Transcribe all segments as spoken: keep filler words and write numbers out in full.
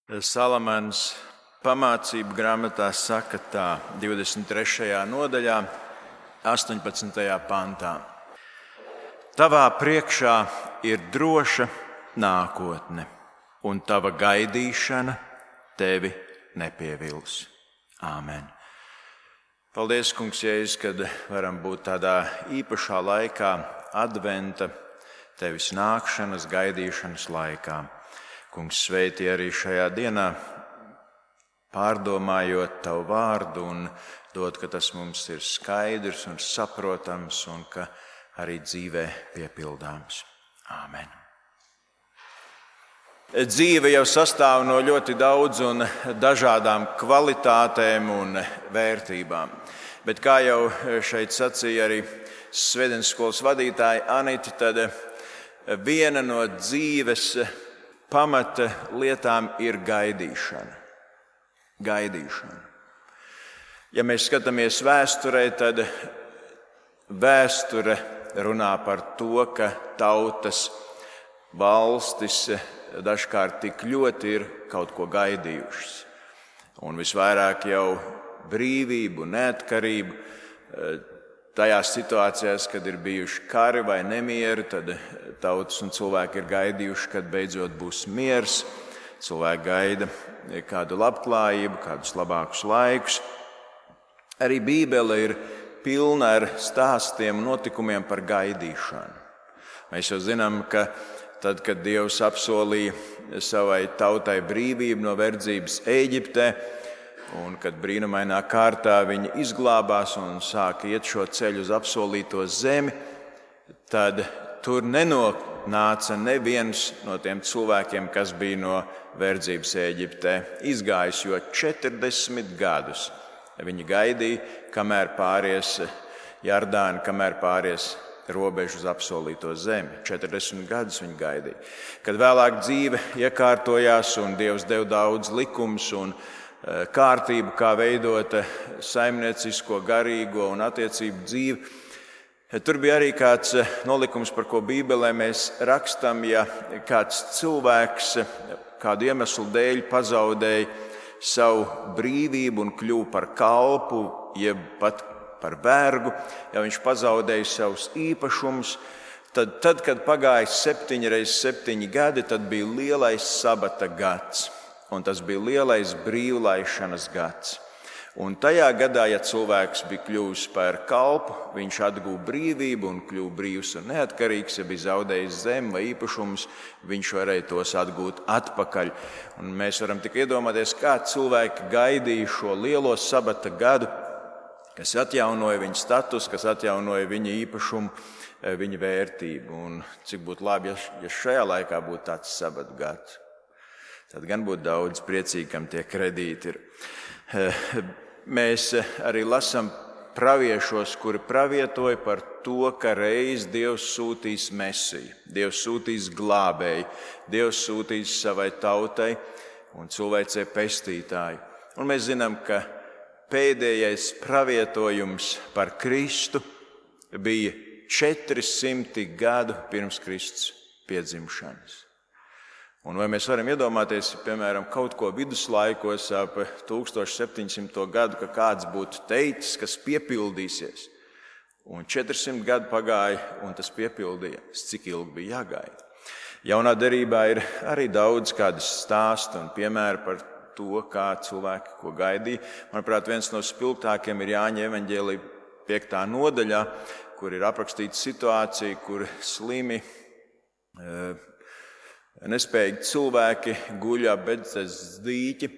Salamans pamācību grāmatā saka tā, divdesmit trešajā nodaļā, astoņpadsmitajā pantā. Tavā priekšā ir droša nākotne, un tava gaidīšana tevi nepievils. Āmen. Paldies, Kungs, Jēzus, kad varam būt tādā īpašā laikā, adventa, tevis nākšanas, gaidīšanas laikā. Kungs, sveitī arī šajā dienā, pārdomājot tavu vārdu un dod, ka tas mums ir skaidrs un saprotams un ka arī dzīvē piepildāms. Āmen. Dzīve jau sastāv no ļoti daudz un dažādām kvalitātēm un vērtībām. Bet kā jau šeit sacīja arī svētdienas skolas vadītāja Anita, tad viena no dzīves pamata lietām ir gaidīšana. Gaidīšana. Ja mēs skatāmies vēsturē, tad vēsture runā par to, ka tautas, valstis dažkārt tik ļoti ir kaut ko gaidījušas. Un visvairāk jau brīvību, neatkarību. Tajās situācijās, kad ir bijuši kari vai nemieri, tad tautas un cilvēki ir gaidījuši, kad beidzot būs miers. Cilvēki gaida kādu labklājību, kādus labākus laikus. Arī Bībele ir pilna ar stāstiem un notikumiem par gaidīšanu. Mēs jau zinām, ka tad, kad Dievs apsolīja savai tautai brīvību no verdzības Ēģiptē, un kad brīnumainā kārtā viņi izglābās un sāka iet šo ceļu uz apsolīto zemi, tad tur nenonāca neviens no tiem cilvēkiem, kas bija no verdzības Ēģiptē izgājis, jo četrdesmit gadus viņi gaidīja, kamēr pāries Jardāni, kamēr pāries robežu uz apsolīto zemi. četrdesmit gadus viņi gaidīja. Kad vēlāk dzīve iekārtojās un Dievs deva daudz likumus un kārtību, kā veidot saimniecisko, garīgo un attiecību dzīvi. Tur bija arī kāds nolikums, par ko Bībelē mēs rakstam, ja kāds cilvēks kādu iemeslu dēļ pazaudēja savu brīvību un kļuva par kalpu, jeb pat par vergu, ja viņš pazaudēja savus īpašumus, tad, tad kad pagāja septiņi reiz septiņi gadi, tad bija lielais sabata gads. Un tas bija lielais brīvlaišanas gads. Un tajā gadā, ja cilvēks bija kļuvis par kalpu, viņš atguva brīvību un kļuva brīvs un neatkarīgs. Ja bija zaudējis zemi vai īpašumus, viņš varēja tos atgūt atpakaļ. Un mēs varam tikai iedomāties, kā cilvēki gaidīja šo lielo sabata gadu, kas atjaunoja viņa status, kas atjaunoja viņa īpašumu, viņa vērtību. Un cik būtu labi, ja šajā laikā būtu tāds sabata gads. Tad gan būtu daudz priecīgi, kam tie kredīti ir. Mēs arī lasām praviešos, kuri pravietoja par to, ka reiz Dievs sūtīs Mesiju, Dievs sūtīs glābēju, Dievs sūtīs savai tautai un cilvēcei pestītāju. Un mēs zinām, ka pēdējais pravietojums par Kristu bija četri simti gadu pirms Kristus piedzimšanas. Un vai mēs varam iedomāties, piemēram, kaut ko viduslaikos ap tūkstoš septiņsimto gadu, ka kāds būtu teicis, kas piepildīsies. Un četri simti gadi pagāja, un tas piepildījās. Cik ilgi bija jāgaida? Jaunā derībā ir arī daudz kādas stāstu un piemēri par to, kā cilvēki ko gaidīja. Manuprāt, viens no spilgtākiem ir Jāņa evaņģēlija piektā nodaļā, kur ir aprakstīta situācija, kur slimi, nespējīgi cilvēki guļ ap Bēdzesdas dīķi,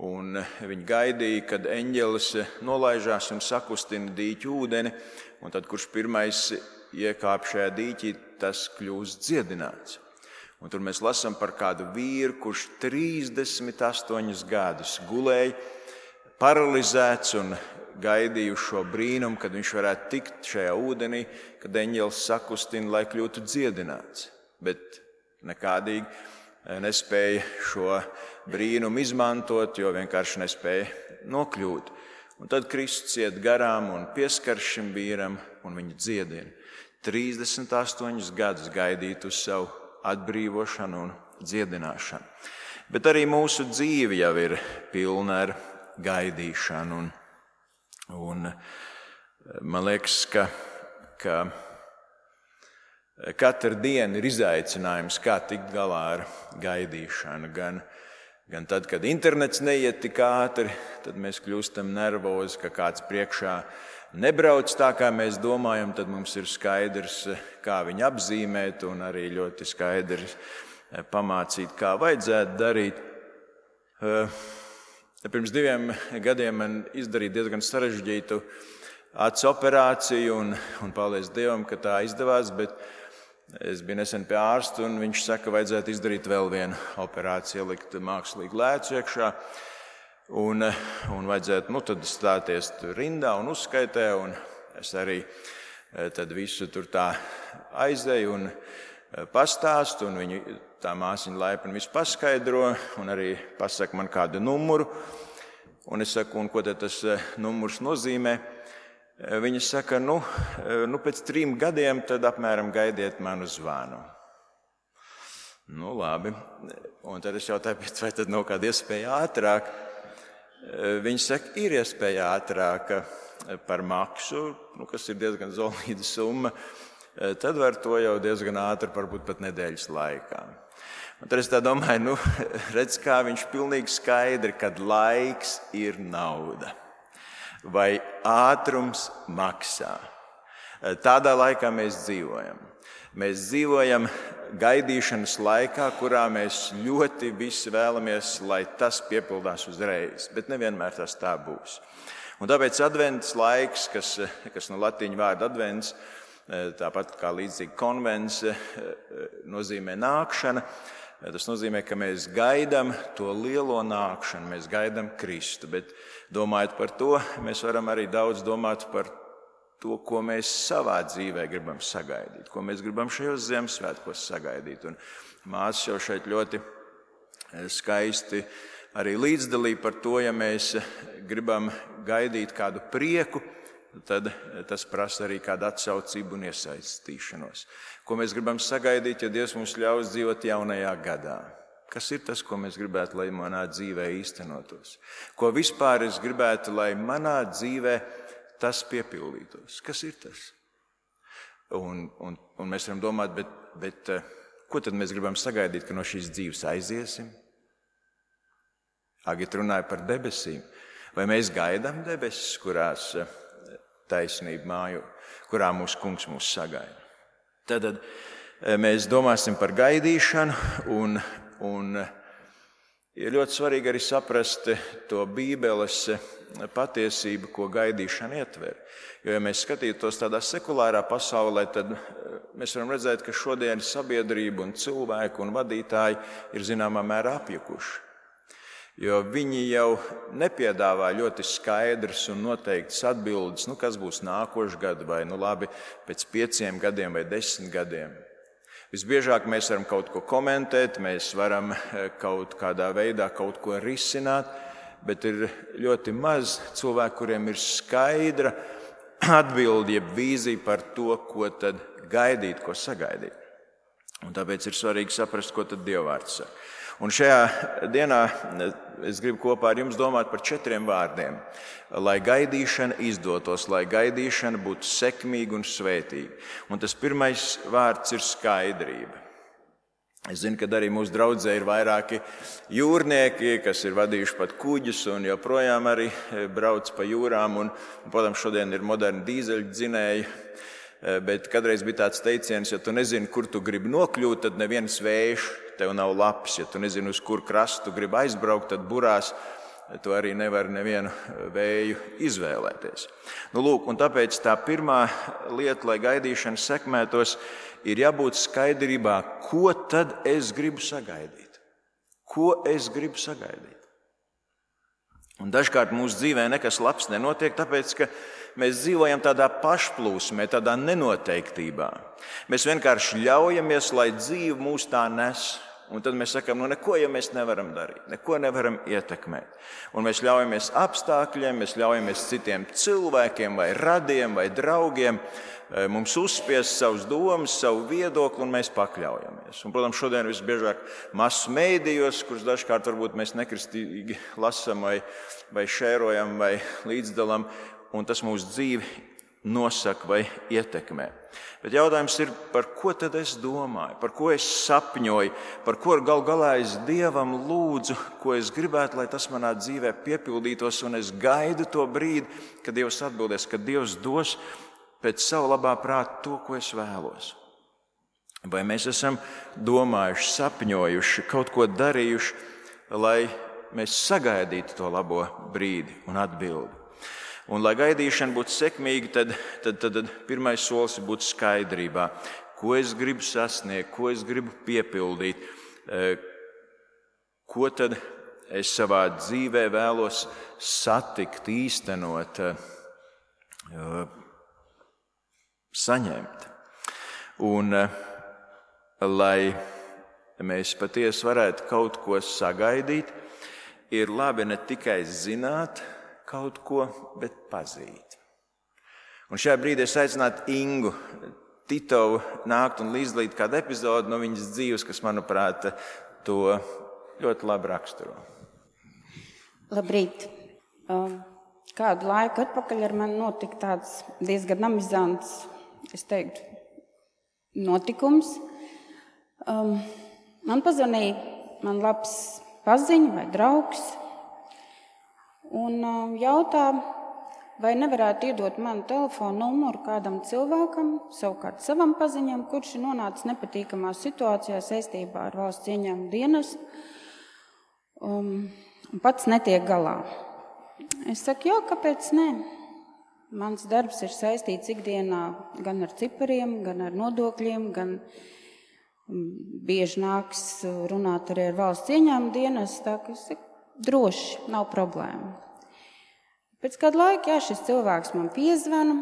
un viņi gaidīja, kad eņģelis nolaižās un sakustina dīķu ūdeni, un tad, kurš pirmais iekāp šajā dīķī, tas kļūst dziedināts. Un tur mēs lasām par kādu vīru, kurš trīsdesmit astoņus gadus gulēja, paralizēts un gaidīja šo brīnumu, kad viņš varētu tikt šajā ūdenī, kad eņģelis sakustina, lai kļūtu dziedināts. Bet nekādīgi nespēja šo brīnumu izmantot, jo vienkārši nespēja nokļūt. Un tad Kristus iet garām un pieskar šim vīram un viņu dziedina. trīsdesmit astoņus gadus gaidīt uz savu atbrīvošanu un dziedināšanu. Bet arī mūsu dzīve jau ir pilna ar gaidīšanu. Un, un man liekas, ka, ka katra diena ir izaicinājums, kā tikt galā ar gaidīšanu. Gan, gan tad, kad internets neiet tik ātri, tad mēs kļūstam nervozi, ka kāds priekšā nebrauc tā, kā mēs domājam, tad mums ir skaidrs, kā viņu apzīmēt un arī ļoti skaidrs pamācīt, kā vajadzētu darīt. Pirms diviem gadiem man izdarīja diezgan sarežģītu acu operāciju un, un paldies Dievam, ka tā izdevās, bet es biju nesen pie ārsta un viņš saka, ka vajadzētu izdarīt vēl vienu operāciju, ielikt mākslīgu lēcu iekšā. Un, un vajadzētu nu, tad stāties tur rindā un uzskaitē, un es arī tad visu tur tā aizēju un pastāstu, un viņu tā māsiņa laipni visu paskaidro, un arī pasaka man kādu numuru. Un es saku, un ko tad tas numurs nozīmē? Viņa saka, nu, nu pēc trim gadiem tad apmēram gaidiet manu zvanu. Nu, labi. Un tad es jautāju, vai tad nav kāda iespēja ātrāk? Viņi saka, ir iespēja ātrāk par maksu, nu, kas ir diezgan solīda summa. Tad var to jau diezgan ātri, varbūt pat nedēļas laikā. Un tad es tā domāju, nu, redz, kā viņš pilnīgi skaidri, kad laiks ir nauda. Vai ātrums maksā. Tādā laikā mēs dzīvojam. Mēs dzīvojam gaidīšanas laikā, kurā mēs ļoti visi vēlamies, lai tas piepildās uzreiz, bet nevienmēr tas tā būs. Un tāpēc advents laiks, kas, kas no latīņu vārda advents, tāpat kā līdzīgi konvents, nozīmē nākšana. Tas nozīmē, ka mēs gaidām to lielo nākšanu, mēs gaidām Kristu, bet domājot par to, mēs varam arī daudz domāt par to, ko mēs savā dzīvē gribam sagaidīt, ko mēs gribam šajos Ziemassvētkos sagaidīt. Un māsas jau šeit ļoti skaisti arī līdzdalīja par to, ja mēs gribam gaidīt kādu prieku, tad tas prasa arī kādu atsaucību un iesaistīšanos. Ko mēs gribam sagaidīt, ja Dievs mums ļaus dzīvot jaunajā gadā? Kas ir tas, ko mēs gribētu, lai manā dzīvē īstenotos? Ko vispār es gribētu, lai manā dzīvē tas piepildītos? Kas ir tas? Un, un, un mēs varam domāt, bet, bet ko tad mēs gribam sagaidīt, ka no šīs dzīves aiziesim? Agita runāja par debesīm. Vai mēs gaidām debesis, kurās taisnība mājo, kurā mūsu kungs mūs sagaida? Tad mēs domāsim par gaidīšanu un, un ir ļoti svarīgi arī saprast to Bībeles patiesību, ko gaidīšana ietver. Jo, ja mēs skatītos tādā sekulārā pasaulē, tad mēs varam redzēt, ka šodien sabiedrība un cilvēki un vadītāji ir zināmā mērā apjukuši. Jo viņi jau nepiedāvā ļoti skaidras un noteiktas atbildes, nu, kas būs nākošais gads vai nu labi pēc pieciem gadiem vai desmit gadiem. Visbiežāk mēs varam kaut ko komentēt, mēs varam kaut kādā veidā kaut ko risināt, bet ir ļoti maz cilvēku, kuriem ir skaidra atbilde, jeb vīzija par to, ko tad gaidīt, ko sagaidīt. Un tāpēc ir svarīgi saprast, ko tad Dievvvārds saka. Un šajā dienā es gribu kopā ar jums domāt par četriem vārdiem. Lai gaidīšana izdotos, lai gaidīšana būtu sekmīga un svētīga. Un tas pirmais vārds ir skaidrība. Es zinu, ka arī mūsu draudzē ir vairāki jūrnieki, kas ir vadījuši pat kuģus un joprojām arī brauc pa jūrām. Un, un, protams, šodien ir moderni dīzeļdzinēji. Bet kadreiz bija tāds teiciens, ja tu nezini, kur tu gribi nokļūt, tad neviens vējš tev nav labs. Ja tu nezini, uz kur krastu tu gribi aizbraukt, tad burās tu arī nevari nevienu vēju izvēlēties. Nu, lūk, un tāpēc tā pirmā lieta, lai gaidīšana sekmētos, ir jābūt skaidrībā, ko tad es gribu sagaidīt. Ko es gribu sagaidīt? Un dažkārt mūsu dzīvē nekas labs nenotiek, tāpēc, ka mēs dzīvojam tādā pašplūsmē, tādā nenoteiktībā. Mēs vienkārši ļaujamies, lai dzīve mūs tā nes. Un tad mēs sakām, nu neko jau mēs nevaram darīt, neko nevaram ietekmēt. Un mēs ļaujamies apstākļiem, mēs ļaujamies citiem cilvēkiem vai radiem vai draugiem mums uzspiest savus domas, savu viedokli, un mēs pakļaujamies. Un, protams, šodien visbiežāk masu mēdījos, kurus dažkārt varbūt mēs nekristīgi lasam vai, vai šērojam vai līdzdalam, un tas mūsu dzīvi nosaka vai ietekmē. Bet jautājums ir, par ko tad es domāju, par ko es sapņoju, par ko gal galā es Dievam lūdzu, ko es gribētu, lai tas manā dzīvē piepildītos, un es gaidu to brīdi, kad Dievs atbildēs, kad Dievs dos pēc savu labā prāta to, ko es vēlos. Vai mēs esam domājuši, sapņojuši, kaut ko darījuši, lai mēs sagaidītu to labo brīdi un atbildi. Un, lai gaidīšana būtu sekmīga, tad, tad, tad, tad pirmais solis ir būt skaidrībā, ko es gribu sasniegt, ko es gribu piepildīt, ko tad es savā dzīvē vēlos satikt, īstenot, saņemt. Un, lai mēs patiesi varētu kaut ko sagaidīt, ir labi ne tikai zināt kaut ko, bet pazīt. Un šajā brīdī es aicinātu Ingu Titovu nākt un līdzdalīt kādu epizodu no viņas dzīves, kas, manuprāt, to ļoti labi raksturo. Labrīt! Kādu laiku atpakaļ ar mani notika tāds diezgan amizants, es teiktu, notikums. Man pazvanīja man labs paziņa vai draugs, un jautā, vai nevarētu iedot manu telefonu numuru kādam cilvēkam, savukārt savam paziņam, kurš ir nonācis nepatīkamā situācijā saistībā ar valsts ieņēmumu dienestu, um, un pats netiek galā. Es saku, jā, kāpēc ne? Mans darbs ir saistīts ikdienā gan ar cipariem, gan ar nodokļiem, gan bieži nāks runāt arī ar valsts ieņēmumu dienestu, tā ka es saku, droši, nav problēma. Pēc kāda laika, jā, šis cilvēks man piezvana,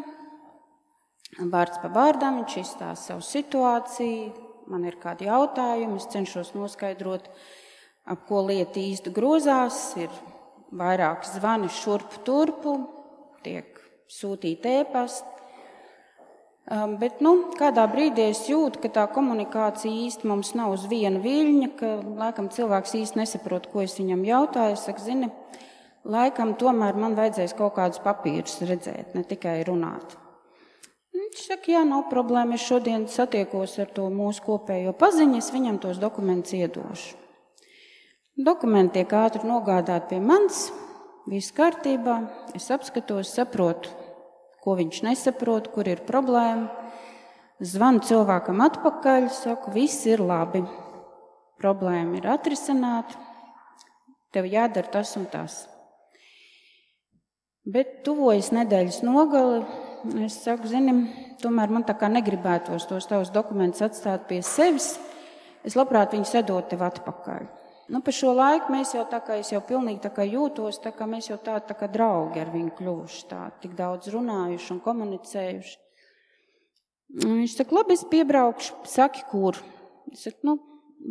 vārds pa vārdam, viņš izstāsta savu situāciju, man ir kādi jautājumi, es cenšos noskaidrot, ap ko lieta īsti grozās, ir vairāk zvani šurpu turpu, tiek sūtīti ēpasti, bet, nu, kādā brīdī es jūtu, ka tā komunikācija īsti mums nav uz viena viļņa, ka, laikam, cilvēks īsti nesaprot, ko es viņam jautāju. Es saku, zini, laikam, tomēr man vajadzēs kaut kādus papīrus redzēt, ne tikai runāt. Viņš saka, jā, nav problēma, es šodien satiekos ar to mūsu kopējo paziņu, es viņam tos dokumentus iedošu. Dokumenti tiek ātri nogādāti pie manis, viss kārtībā, es apskatos, saprotu, ko viņš nesaprot, kur ir problēma. Zvanu cilvēkam atpakaļ, saku, viss ir labi. Problēma ir atrisināta, tev jādara tas un tas. Bet tuvojas nedēļas nogali, es saku, zini, tomēr man tā kā negribētos tos tavus dokumentus atstāt pie sevis, es labprāt viņus edot tev atpakaļ. Nu, pa šo laiku mēs jau tā kā, es jau pilnīgi tā kā jūtos, tā kā mēs jau tā, tā kā draugi ar viņu kļuvuši, tā, tik daudz runājuši un komunicējuši. Viņš saka, labi, es piebraukšu, saki, kur? Es saku, nu,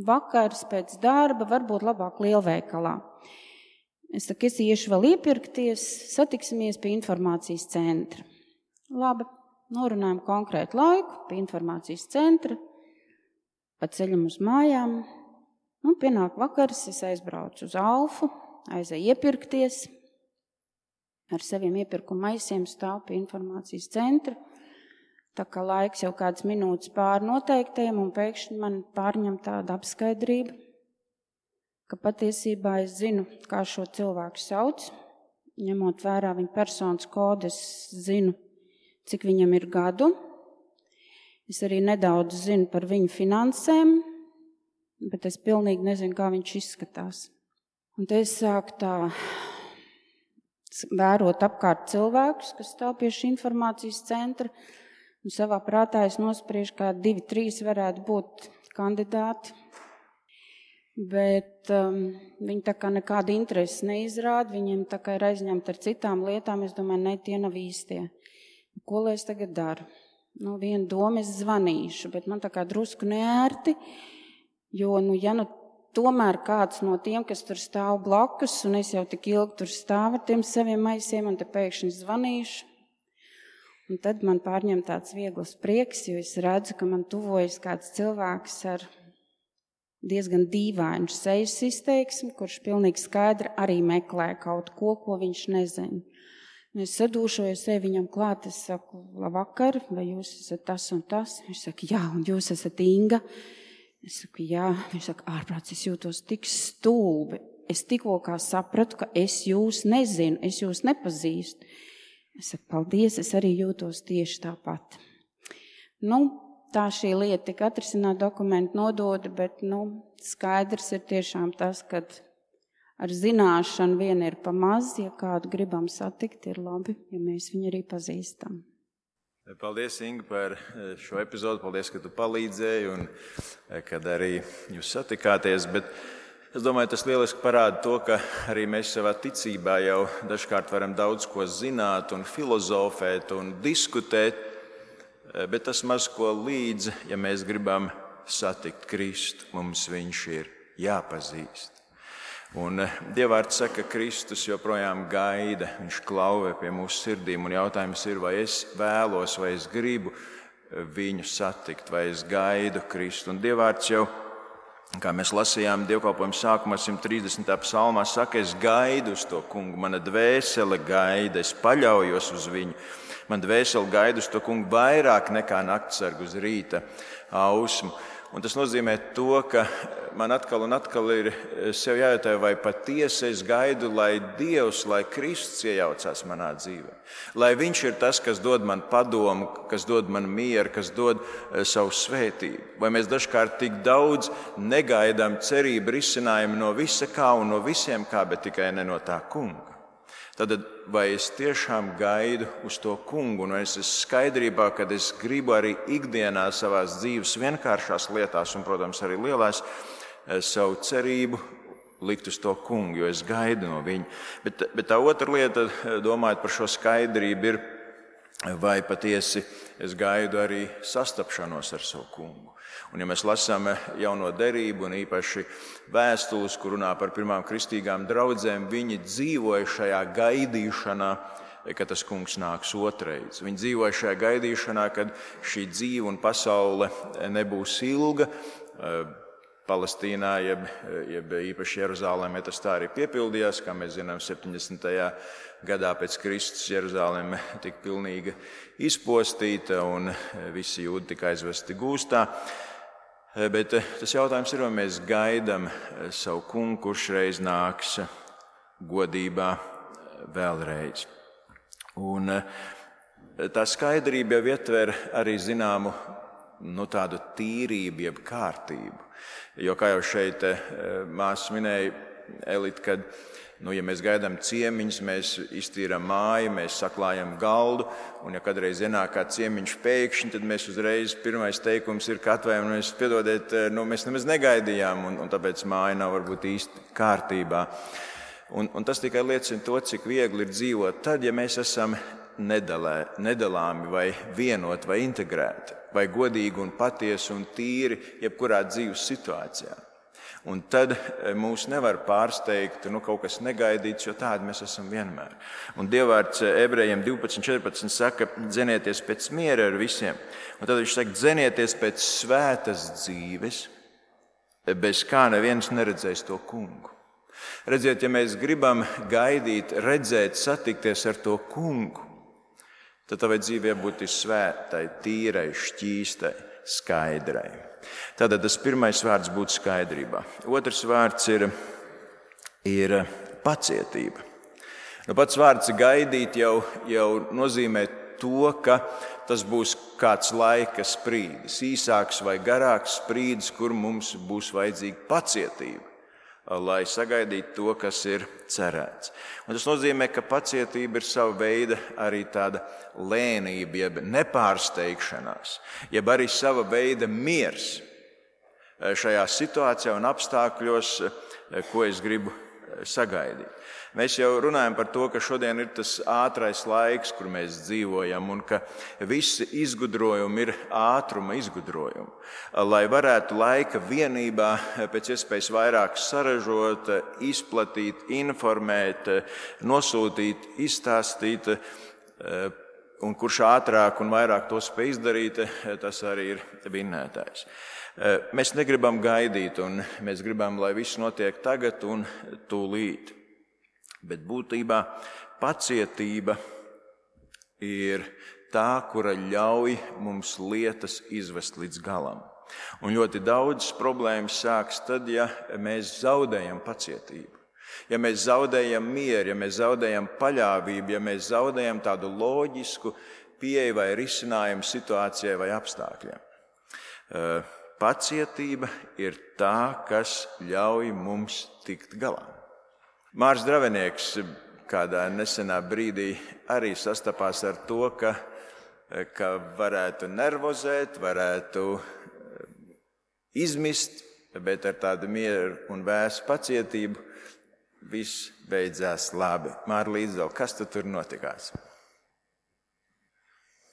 vakars pēc darba, varbūt labāk lielveikalā. Es saku, es iešu vēl iepirkties, satiksimies pie informācijas centra. Labi, norunājam konkrētu laiku pie informācijas centra, pa ceļam uz mājām. Un pienāk vakars, es aizbraucu uz Alfu, aizēju iepirkties, ar saviem iepirkuma maisiem stāvu pie informācijas centra, tā kā laiks jau kāds minūtes pār noteiktajiem, un pēkšņi man pārņem tāda apskaidrība, ka patiesībā es zinu, kā šo cilvēku sauc, ņemot vērā viņa personas kodu, es zinu, cik viņam ir gadu, es arī nedaudz zinu par viņu finansēm, bet es pilnīgi nezinu, kā viņš izskatās. Un te es sāku tā vērot apkārt cilvēkus, kas stāv pie šī informācijas centra, un savā prātā es nospriežu, kā divi, trīs varētu būt kandidāti, bet um, viņi tā kā nekāda interesi neizrāda, viņiem tā kā ir aizņemta ar citām lietām, es domāju, ne, tie nav īstie. Ko lai es tagad daru? Nu, vienu domu es zvanīšu, bet man tā kā drusku neērti, jo, nu, ja nu tomēr kāds no tiem, kas tur stāv blakus, un es jau tik ilgi tur stāvu ar tiem saviem maisiem, un te pēkšņi zvanīšu. Un tad man pārņem tāds viegls prieks, jo es redzu, ka man tuvojas kāds cilvēks ar diezgan dīvainu sejas izteiksmi, kurš pilnīgi skaidri arī meklē kaut ko, ko viņš nezina. Un es sadūšojos sevi viņam klāt, es saku, labvakar, vai jūs esat tas un tas? Viņš saka, jā, un jūs esat Inga? Es saku, jā. Viņš saka, ārprāts, es jūtos tik stulbi. Es tikko kā sapratu, ka es jūs nezinu, es jūs nepazīstu. Es saku, paldies, es arī jūtos tieši tāpat. Nu, tā šī lieta tika atrisināta, dokumenti nodota, bet, nu, skaidrs ir tiešām tas, ka ar zināšanu vien ir pa maz, ja kādu gribam satikt, ir labi, ja mēs viņu arī pazīstam. Paldies, Inga, par šo epizodu, paldies, ka tu palīdzēji un kad arī jūs satikāties, bet es domāju, tas lieliski parāda to, ka arī mēs savā ticībā jau dažkārt varam daudz ko zināt un filozofēt un diskutēt, bet tas maz ko līdzi, ja mēs gribam satikt Kristu, mums viņš ir jāpazīst. Un Dievvvārds saka, ka Kristus joprojām gaida, viņš klauvē pie mūsu sirdīm, un jautājums ir, vai es vēlos, vai es gribu viņu satikt, vai es gaidu Kristu. Un Dievvvārds jau, kā mēs lasījām dievkalpojuma sākumā simt trīsdesmitā psalmā, saka, es gaidu uz to kungu, mana dvēsele gaida, es paļaujos uz viņu. Man dvēsele gaida uz to kungu vairāk nekā naktsargu uz rīta ausmu. Un tas nozīmē to, ka man atkal un atkal ir sev jājautā, vai patiesi es gaidu, lai Dievs, lai Kristus iejaucās manā dzīvē. Lai viņš ir tas, kas dod man padomu, kas dod man mieru, kas dod savu svētību. Vai mēs dažkārt tik daudz negaidām cerību risinājumu no visa kā un no visiem kā, bet tikai ne no tā kunga. Tad vai es tiešām gaidu uz to kungu, un es esmu skaidrībā, kad es gribu arī ikdienā savās dzīves vienkāršās lietās, un, protams, arī lielās, savu cerību likt uz to kungu, jo es gaidu no viņa. Bet, bet tā otra lieta, domājot par šo skaidrību, ir, vai patiesi es gaidu arī sastapšanos ar savu kungu. Un ja mēs lasām jauno derību un īpaši vēstules, kur runā par pirmām kristīgām draudzēm, viņi dzīvoja šajā gaidīšanā, ka tas kungs nāks otrais. Viņi dzīvoja šajā gaidīšanā, kad šī dzīve un pasaule nebūs ilga. Palestīnā, jeb, jeb īpaši Jeruzālēmē tas tā arī piepildījās, kā mēs zinām, septiņdesmitajā gadā pēc Kristus Jeruzālēme tika pilnīgi izpostīta un visi jūdi tika aizvesti gūstā. Bet tas jautājums ir, vai mēs gaidām savu kungu, kurš reiz nāks godībā vēlreiz. Un tā skaidrība jau ietver arī zināmu nu, tādu tīrību, jeb kārtību. Jo, kā jau šeit māsa minēja, Elita, kad nu, ja mēs gaidām ciemiņus, mēs iztīram māju, mēs saklājam galdu, un ja kādreiz ienāk kā ciemiņš pēkšņi, tad mēs uzreiz pirmais teikums ir, ka atvainojamies, mēs piedodiet, nu, mēs nemaz negaidījām, un, un tāpēc māja nav varbūt īsti kārtībā. Un, un tas tikai liecina to, cik viegli ir dzīvot tad, ja mēs esam nedalē, nedalāmi vai vienoti vai integrēti, vai godīgi un patiesi un tīri jebkurā dzīves situācijā. Un tad mūs nevar pārsteigt nu, kaut kas negaidīts, jo tādi mēs esam vienmēr. Un Dievvvārds Ebrejiem divpadsmit četrpadsmit saka, dzenieties pēc miera ar visiem. Un tad viņš saka, dzenieties pēc svētas dzīves, bez kā neviens neredzēs to kungu. Redziet, ja mēs gribam gaidīt, redzēt, satikties ar to kungu, tad tavai dzīvē būtu svētai, tīrai, šķīstai, skaidrai. Tātad tas pirmais vārds būtu skaidrībā. Otrs vārds ir, ir pacietība. Nu, pats vārds gaidīt jau, jau nozīmē to, ka tas būs kāds laika sprīdis, īsāks vai garāks sprīdis, kur mums būs vajadzīga pacietība, lai sagaidītu to, kas ir cerēts. Un tas nozīmē, ka pacietība ir sava veida arī tāda lēnība, jeb nepārsteigšanās, jeb arī sava veida miers šajā situācijā un apstākļos, ko es gribu sagaidīt. Mēs jau runājam par to, ka šodien ir tas ātrais laiks, kur mēs dzīvojam, un ka visi izgudrojumi ir ātruma izgudrojumi. Lai varētu laika vienībā pēc iespējas vairāk saražot, izplatīt, informēt, nosūtīt, izstāstīt, un kurš ātrāk un vairāk to spēj izdarīt, tas arī ir vinnētājs. Mēs negribam gaidīt, un mēs gribam, lai viss notiek tagad un tūlīt. Bet būtībā pacietība ir tā, kura ļauj mums lietas izvest līdz galam. Un ļoti daudz problēmas sāks tad, ja mēs zaudējam pacietību. Ja mēs zaudējam mieru, ja mēs zaudējam paļāvību, ja mēs zaudējam tādu loģisku pieeju vai risinājumu situācijai vai apstākļiem. Pacietība ir tā, kas ļauj mums tikt galā. Mārs Dravenieks kādā nesenā brīdī arī sastapās ar to, ka, ka varētu nervozēt, varētu izmist, bet ar tādu mieru un vēsu pacietību viss beidzās labi. Māra Līdzdala, kas tu tur notikās?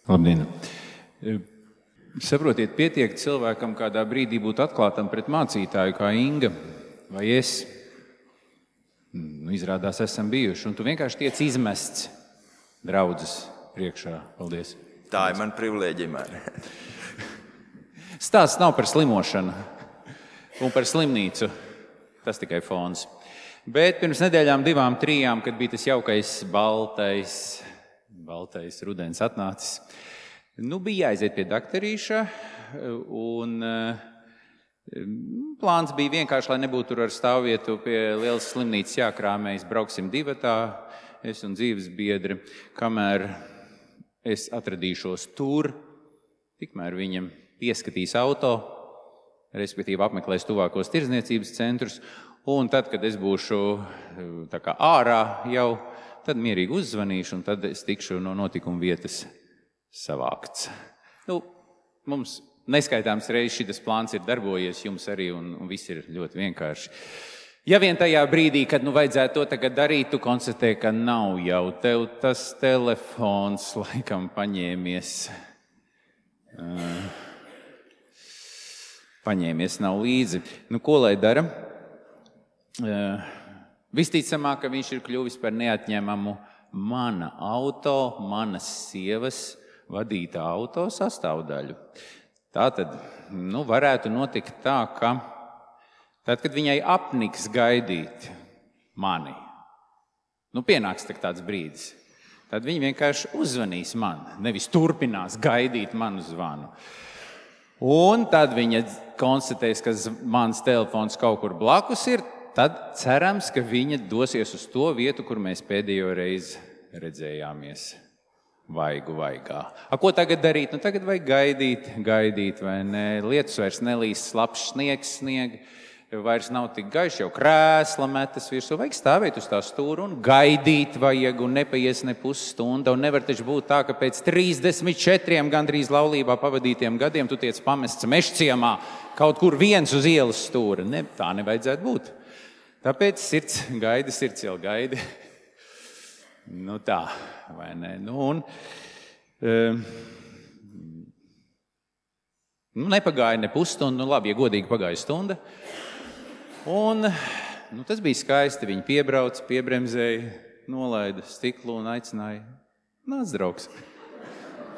Labdien! Saprotiet, pietiek cilvēkam kādā brīdī būt atklātam pret mācītāju kā Inga vai es. Nu, izrādās, esam bijuši, un tu vienkārši tiec izmests draudzes priekšā. Paldies. Tā ir man privilēģija, Māri. Stāsts nav par slimošanu un par slimnīcu. Tas tikai fons. Bet pirms nedēļām divām, trijām, kad bija tas jaukais baltais, baltais rudens atnācis, nu, bija jāaiziet pie dakterīša, un plāns bija vienkārši, lai nebūtu tur ar stāvvietu pie lielas slimnīcas jākrāmējas. Brauksim divatā, es un dzīves biedri, kamēr es atradīšos tur, tikmēr viņam pieskatīs auto, respektīvi apmeklēs tuvākos tirdzniecības centrus, un tad, kad es būšu tā kā ārā jau, tad mierīgi uzzvanīšu, un tad es tikšu no notikuma vietas savākts. Nu, mums neskaitāms reizes šitas plāns ir darbojies, jums arī, un, un viss ir ļoti vienkārši. Ja vien tajā brīdī, kad nu vajadzētu to tagad darīt, tu konstatē, ka nav jau tev tas telefons laikam paņēmies. Uh, paņēmies nav līdzi. Nu, ko lai dara? Uh, visticamāk, ka viņš ir kļuvis par neatņemamu mana auto, manas sievas vadītā auto sastāvdaļu. Tātad, nu, varētu notikt tā, ka tad, kad viņai apniks gaidīt mani, nu, pienāks tāds brīdis, tad viņa vienkārši uzzvanīs man, nevis turpinās gaidīt manu zvanu. Un tad viņa konstatēs, ka mans telefons kaut kur blakus ir, tad cerams, ka viņa dosies uz to vietu, kur mēs pēdējo reizi redzējāmies. Vaigu vaigā. A, ko tagad darīt? Nu, tagad vajag gaidīt, gaidīt, vai ne? Lietus vairs nelīs, slapš sniegs sniegi, vairs nav tik gaiši, jau krēsla metas virsū. Vajag stāvēt uz tā stūra un gaidīt vajag, un nepaies ne pusstunda. Un nevar taču būt tā, ka pēc trīsdesmit četriem gandrīz laulībā pavadītiem gadiem tu tiec pamests mežciemā kaut kur viens uz ielas stūra. Ne, tā nevajadzētu būt. Tāpēc sirds gaida, sirds jau gaida. Nu tā, vai ne? Nu, un, um, nu, nepagāja ne pusstunda, nu labi, ja godīgi pagāja stunda. Un nu, tas bija skaisti, viņi piebrauc, piebremzēja, nolaida stiklu un aicināja, nāc, draugs,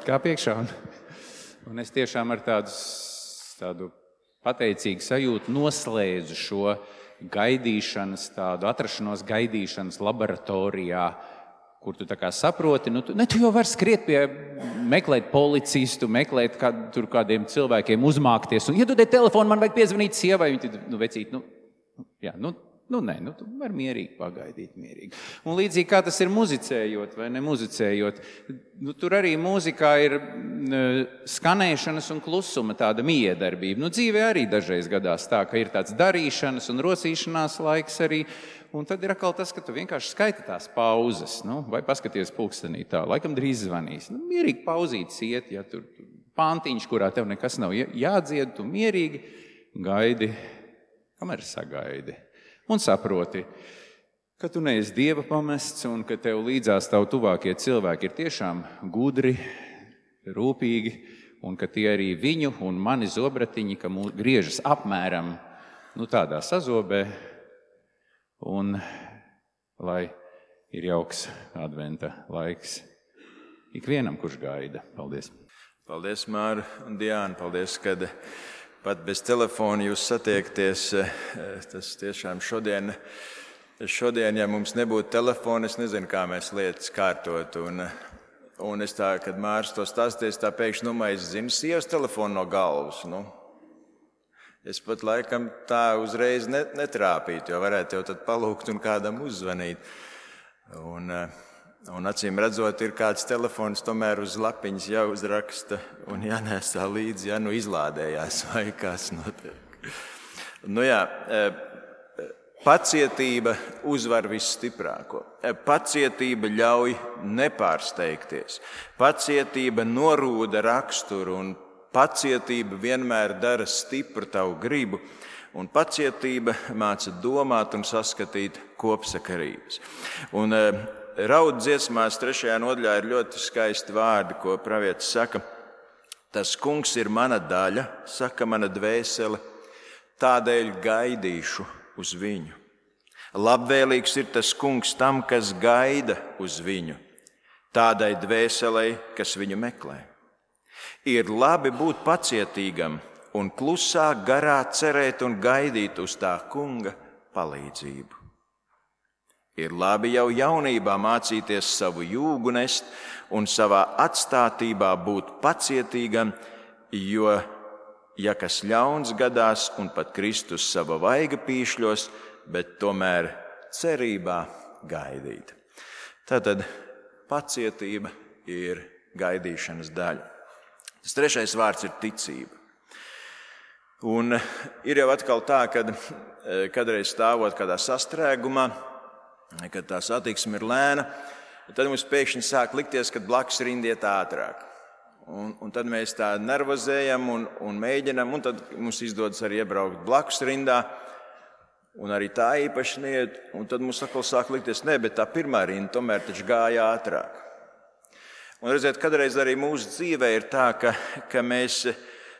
kā piekšā. Un, un es tiešām ar tādu, tādu pateicīgu sajūtu noslēdzu šo gaidīšanas, tādu atrašanos gaidīšanas laboratorijā, kur tu tā kā saproti, nu tu, ne, tu jau vari skriet pie, meklēt policistu, meklēt kād, tur kādiem cilvēkiem, uzmākties un iedodiet telefonu, man vajag piezvanīt sievai, viņi tad, nu, vecīt, nu, jā, nu, nu, nē, nu, tu vari mierīgi pagaidīt, mierīgi. Un līdzīgi kā tas ir muzicējot vai ne muzicējot, nu, tur arī mūzikā ir skanēšanas un klusuma tāda miedarbība. Nu, dzīvē arī dažreiz gadās tā, ka ir tāds darīšanas un rosīšanās laiks arī, un tad ir atkal tas, ka tu vienkārši skaiti tās pauzes, nu, vai paskaties pulkstenī tā, laikam drīz zvanīs. Nu, mierīgi pauzītes iet, ja tur pantiņš, kurā tev nekas nav jādzied, tu mierīgi gaidi, kamēr sagaidi. Un saproti, ka tu neesi Dieva pamests un ka tev līdzās tavu tuvākie cilvēki ir tiešām gudri, rūpīgi, un ka tie arī viņu un mani zobratiņi, ka mūs griežas apmēram nu, tādā sazobē, un lai ir jauks adventa laiks ikvienam, kurš gaida. Paldies! Paldies, Māra un Diāna. Paldies, kad pat bez telefona jūs satiekties. Tas tiešām šodien, šodien, ja mums nebūtu telefona, es nezinu, kā mēs lietas kārtot. Un, un es tā, kad Mārs to stāsties, tā pēkšņi, nu, es zinu sievas telefonu no galvas. Nu, es pat laikam tā uzreiz netrāpītu, jo varētu jau tad palūgt un kādam uzzvanīt. Un, un acīm redzot, ir kāds telefons tomēr uz lapiņas jāuzraksta un jānēsā līdzi, ja nu izlādējās vai kas notiek. Nu jā, pacietība uzvar visstiprāko. Pacietība ļauj nepārsteigties. Pacietība norūda raksturu un pacietība vienmēr dara stipru tavu gribu. Un pacietība māca domāt un saskatīt kopsakarības. Un raud dziesmās trešajā nodaļā ir ļoti skaisti vārdi, ko pravietis saka. Tas kungs ir mana daļa, saka mana dvēsele, tādēļ gaidīšu uz viņu. Labvēlīgs ir tas kungs tam, kas gaida uz viņu, tādai dvēselei, kas viņu meklē. Ir labi būt pacietīgam un klusā garā cerēt un gaidīt uz tā kunga palīdzību. Ir labi jau jaunībā mācīties savu jūgu nest un savā atstātībā būt pacietīgam, jo, ja kas ļauns gadās un pat Kristus sava vaiga pīšļos, bet tomēr cerībā gaidīt. Tātad pacietība ir gaidīšanas daļa. Tas trešais vārds ir ticība. Un ir jau atkal tā, kad kādreiz stāvot kādā sastrēgumā, kad tā satiksme ir lēna, tad mums pēkšņi sāk likties, ka blakus rinda iet ātrāk. Un, un tad mēs tā nervozējam un, un mēģinam, un tad mums izdodas arī iebraukt blakus rindā, un arī tā īpaši neiet, un tad mums atkal sāk likties, ne, bet tā pirmā rinda tomēr taču gāja ātrāk. Un redziet, kādreiz arī mūsu dzīvē ir tā, ka, ka mēs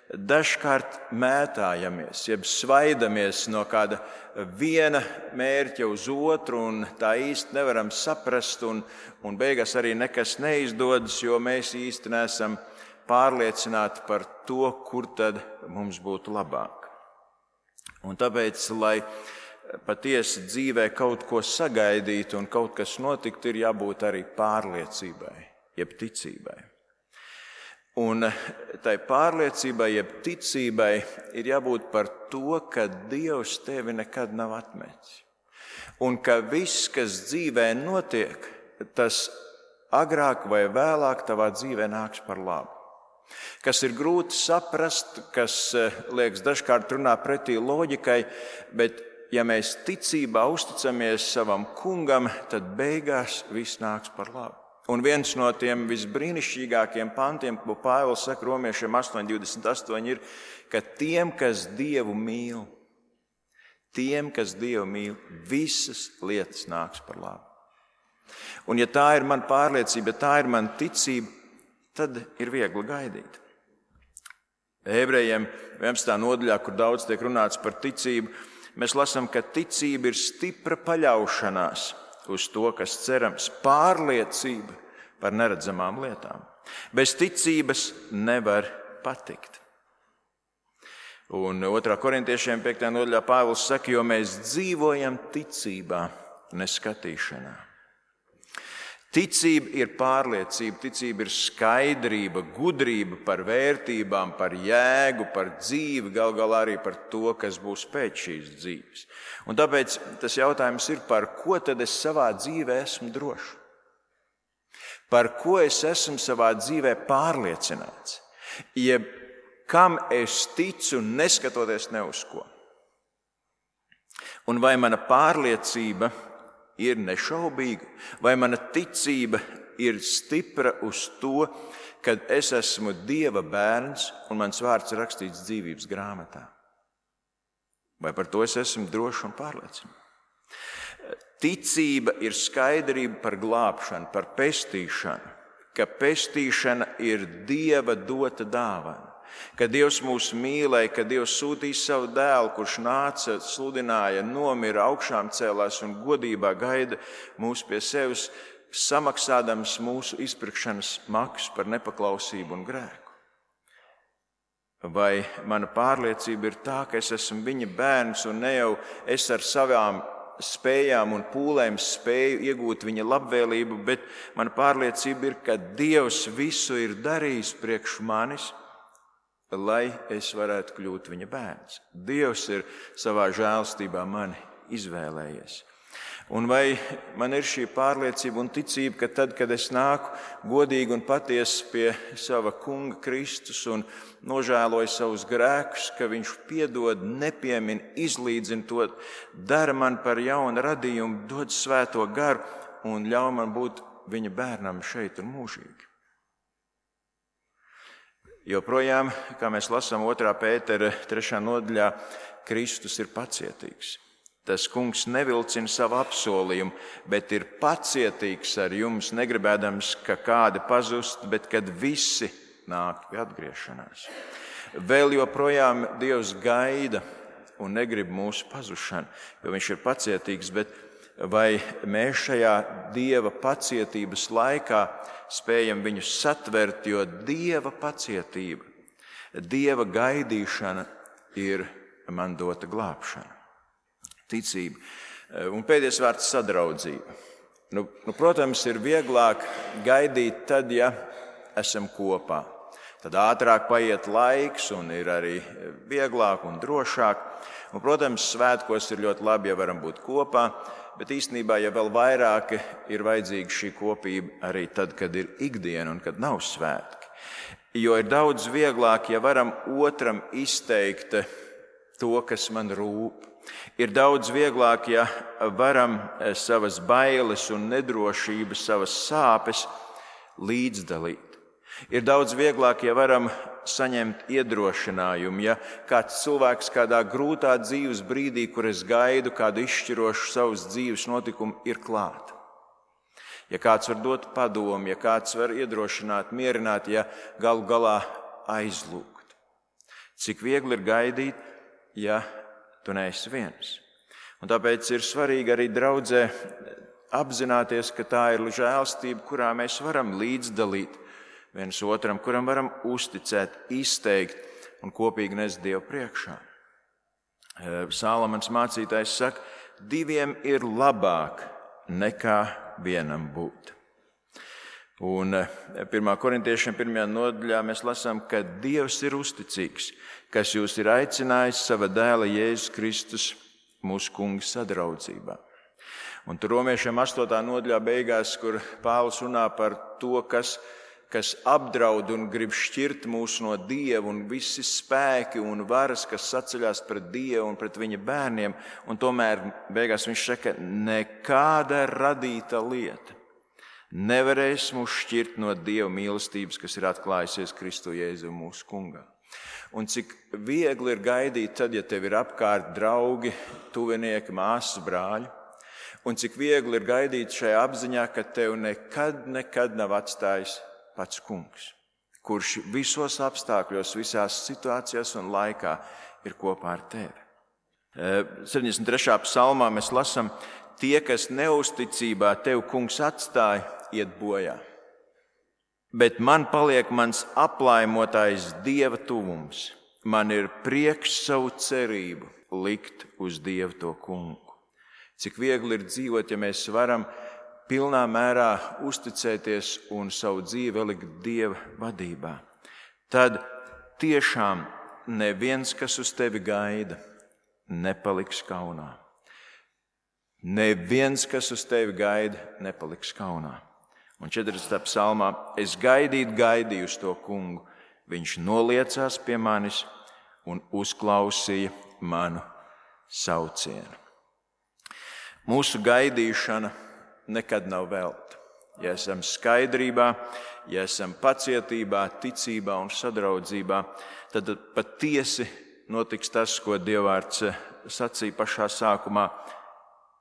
dažkārt mētājamies, jeb svaidamies no kāda viena mērķa uz otru, un tā īsti nevaram saprast, un, un beigās arī nekas neizdodas, jo mēs īsti neesam pārliecināti par to, kur tad mums būtu labāk. Un tāpēc, lai patiesi dzīvē kaut ko sagaidītu un kaut kas notiktu, ir jābūt arī pārliecībai, jeb ticībai. Un tai pārliecībai, jeb ticībai ir jābūt par to, ka Dievs tevi nekad nav atmetis. Un ka viss, kas dzīvē notiek, tas agrāk vai vēlāk tavā dzīvē nāks par labu. Kas ir grūti saprast, kas liekas dažkārt runā pretī loģikai, bet ja mēs ticībā uzticamies savam kungam, tad beigās viss nāks par labu. Un viens no tiem visbrīnišķīgākiem pantiem, ko Pāvils saka romiešiem astoņi divdesmit astoņi, ir, ka tiem, kas Dievu mīl, tiem, kas Dievu mīl, visas lietas nāks par labu. Un ja tā ir man pārliecība, ja tā ir man ticība, tad ir viegli gaidīt. Ebrejiem vienpadsmitā nodaļā, kur daudz tiek runāts par ticību, mēs lasām, ka ticība ir stipra paļaušanās uz to, kas cerams, pārliecība par neredzamām lietām. Bez ticības nevar patikt. Un otrā korintiešiem piektajā nodaļā Pāvils saka, jo mēs dzīvojam ticībā, ne skatīšanā. Ticība ir pārliecība, ticība ir skaidrība, gudrība par vērtībām, par jēgu, par dzīvi, gal galā arī par to, kas būs pēc šīs dzīves. Un tāpēc tas jautājums ir, par ko tad es savā dzīvē esmu drošs? Par ko es esmu savā dzīvē pārliecināts? Jeb kam es ticu, neskatoties ne uz ko? Un vai mana pārliecība ir nešaubīga, vai mana ticība ir stipra uz to, kad es esmu Dieva bērns un mans vārds ir rakstīts dzīvības grāmatā? Vai par to es esmu drošs un pārliecināts? Ticība ir skaidrība par glābšanu, par pestīšanu, ka pestīšana ir Dieva dota dāvana. Ka Dievs mūs mīlēja, ka Dievs sūtīja savu dēlu, kurš nāca, sludināja, nomira, augšām cēlās un godībā gaida mūs pie sevis, samaksādams mūsu izpirkšanas maksu par nepaklausību un grēku. Vai mana pārliecība ir tā, ka es esmu viņa bērns un ne jau es ar savām spējām un pūlēm spēju iegūt viņa labvēlību, bet mana pārliecība ir, ka Dievs visu ir darījis priekš manis, lai es varētu kļūt viņa bērns. Dievs ir savā žēlstībā mani izvēlējies. Un vai man ir šī pārliecība un ticība, ka tad, kad es nāku godīgi un patiesi pie sava kunga Kristus un nožēloju savus grēkus, ka viņš piedod, nepiemin, izlīdzina to, dara man par jaunu radījumu, dod svēto garu un ļauj man būt viņa bērnam šeit un mūžīgi. Joprojām, kā mēs lasām otrā Pētera trešā nodaļā, Kristus ir pacietīgs. Tas kungs nevilcina savu apsolījumu, bet ir pacietīgs ar jums, negribēdams, ka kādi pazust, bet kad visi nāk pie atgriešanās. Vēl joprojām Dievs gaida un negrib mūsu pazušanu, jo viņš ir pacietīgs, bet vai mēs šajā Dieva pacietības laikā spējam viņu satvert, jo Dieva pacietība, Dieva gaidīšana ir man dota glābšana, ticība. Un pēdējais vārds sadraudzība. Nu, nu, protams, ir vieglāk gaidīt tad, ja esam kopā. Tad ātrāk paiet laiks un ir arī vieglāk un drošāk. Un, protams, svētkos ir ļoti labi, ja varam būt kopā, bet īstenībā, ja vēl vairāk ir vajadzīga šī kopība arī tad, kad ir ikdiena un kad nav svētki. Jo ir daudz vieglāk, ja varam otram izteikt to, kas man rūp. Ir daudz vieglāk, ja varam savas bailes un nedrošības, savas sāpes līdzdalīt. Ir daudz vieglāk, ja varam saņemt iedrošinājumu, ja kāds cilvēks kādā grūtā dzīves brīdī, kur es gaidu kādu izšķirošu savas dzīves notikumu, ir klāt. Ja kāds var dot padomu, ja kāds var iedrošināt, mierināt, ja galu galā aizlūgt. Cik viegli ir gaidīt, ja tu neesi viens. Un tāpēc ir svarīgi arī draudzē apzināties, ka tā ir žēlstība, kurā mēs varam līdzdalīt viens otram, kuram varam uzticēt, izteikt un kopīgi nest Dievu priekšā. Sālamans mācītājs saka, diviem ir labāk nekā vienam būt. Un pirmā korintiešiem pirmajā nodaļā mēs lasām, ka Dievs ir uzticīgs, kas jūs ir aicinājis sava dēla Jēzus Kristus mūsu kunga sadraudzībā. Un tur romiešiem astotā nodaļā beigās, kur Pāvils runā par to, kas kas apdraud un grib šķirt mūs no Dieva, un visi spēki un varas, kas saceļās pret Dievu un pret viņa bērniem, un tomēr beigās viņš saka, nekāda radīta lieta nevarēs mūs šķirt no Dieva mīlestības, kas ir atklājusies Kristu Jēzu mūsu kungā. Un cik viegli ir gaidīt tad, ja tev ir apkārt draugi, tuvinieki, māsas, brāļi, un cik viegli ir gaidīt šajā apziņā, ka tev nekad, nekad nav atstājis pats kungs, kurš visos apstākļos, visās situācijās un laikā ir kopā ar tevi. septiņdesmit trešā psalmā mēs lasām, tie, kas neusticībā tev kungs atstāja, iet bojā. Bet man paliek mans aplaimotājs Dieva tuvums. Man ir prieks savu cerību likt uz Dievu to kungu. Cik viegli ir dzīvot, ja mēs varam pilnā mērā uzticēties un savu dzīvi likt Dieva vadībā. Tad tiešām neviens, kas uz tevi gaida, nepaliks kaunā. Neviens, kas uz tevi gaida, nepaliks kaunā. Un četrdesmitā psalmā, es gaidīt gaidīju uz to kungu, viņš noliecās pie manis un uzklausīja manu saucienu. Mūsu gaidīšana nekad nav velta. Ja esam skaidrībā, ja esam pacietībā, ticībā un sadraudzībā, tad patiesi notiks tas, ko Dievvvārds sacīja pašā sākumā.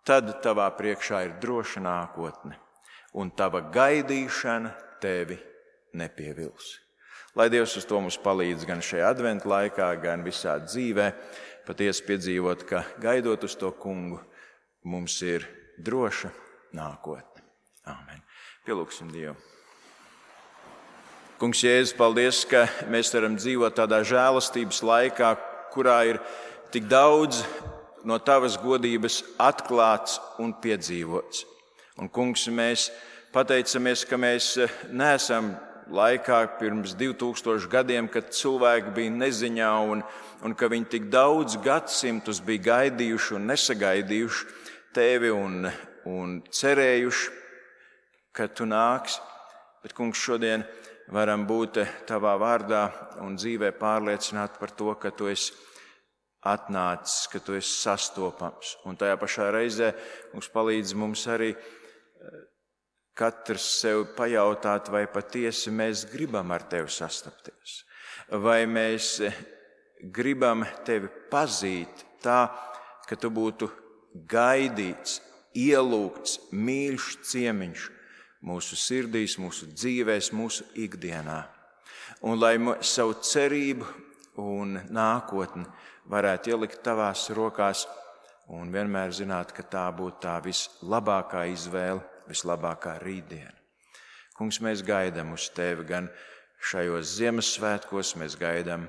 tad tavā priekšā ir droša nākotne, un tava gaidīšana tevi nepievils. Lai Dievs uz to mums palīdz gan šajā adventu laikā, gan visā dzīvē, patiesi piedzīvot, ka gaidot uz to kungu, mums ir droša nākotne. Āmen. Pielūgsim Dievu. Kungs Jēzus, paldies, ka mēs varam dzīvot tādā žēlastības laikā, kurā ir tik daudz no tavas godības atklāts un piedzīvots. Un, kungs, mēs pateicamies, ka mēs neesam laikā pirms divi tūkstoši gadiem, kad cilvēki bija neziņā un, un ka viņi tik daudz gadsimtus bija gaidījuši un nesagaidījuši tevi un, un cerējuši, ka tu nāks. Bet, kungs, šodien varam būt tavā vārdā un dzīvē pārliecināti par to, ka tu esi atnācis, ka tu esi sastopams. Un tajā pašā reizē mums palīdz mums arī katrs sev pajautāt, vai patiesi mēs gribam ar tevi sastapties. Vai mēs gribam tevi pazīt tā, ka tu būtu gaidīts, ielūgts, mīļš ciemiņš mūsu sirdīs, mūsu dzīvēs, mūsu ikdienā. Un lai savu cerību un nākotni varētu ielikt tavās rokās un vienmēr zināt, ka tā būtu tā vislabākā izvēle, vislabākā rītdiena. Kungs, mēs gaidām uz tevi gan šajos Ziemassvētkos, mēs gaidām,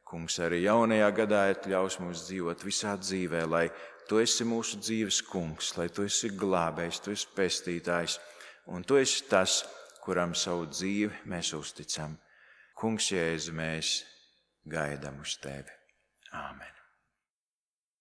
kungs, arī jaunajā gadā ļaus mums dzīvot visā dzīvē, lai tu esi mūsu dzīves kungs, lai tu esi glābējs, tu esi pestītājs, un tu esi tas, kuram savu dzīvi mēs uzticam. Kungs Jēzu, mēs gaidām uz tevi. Āmen.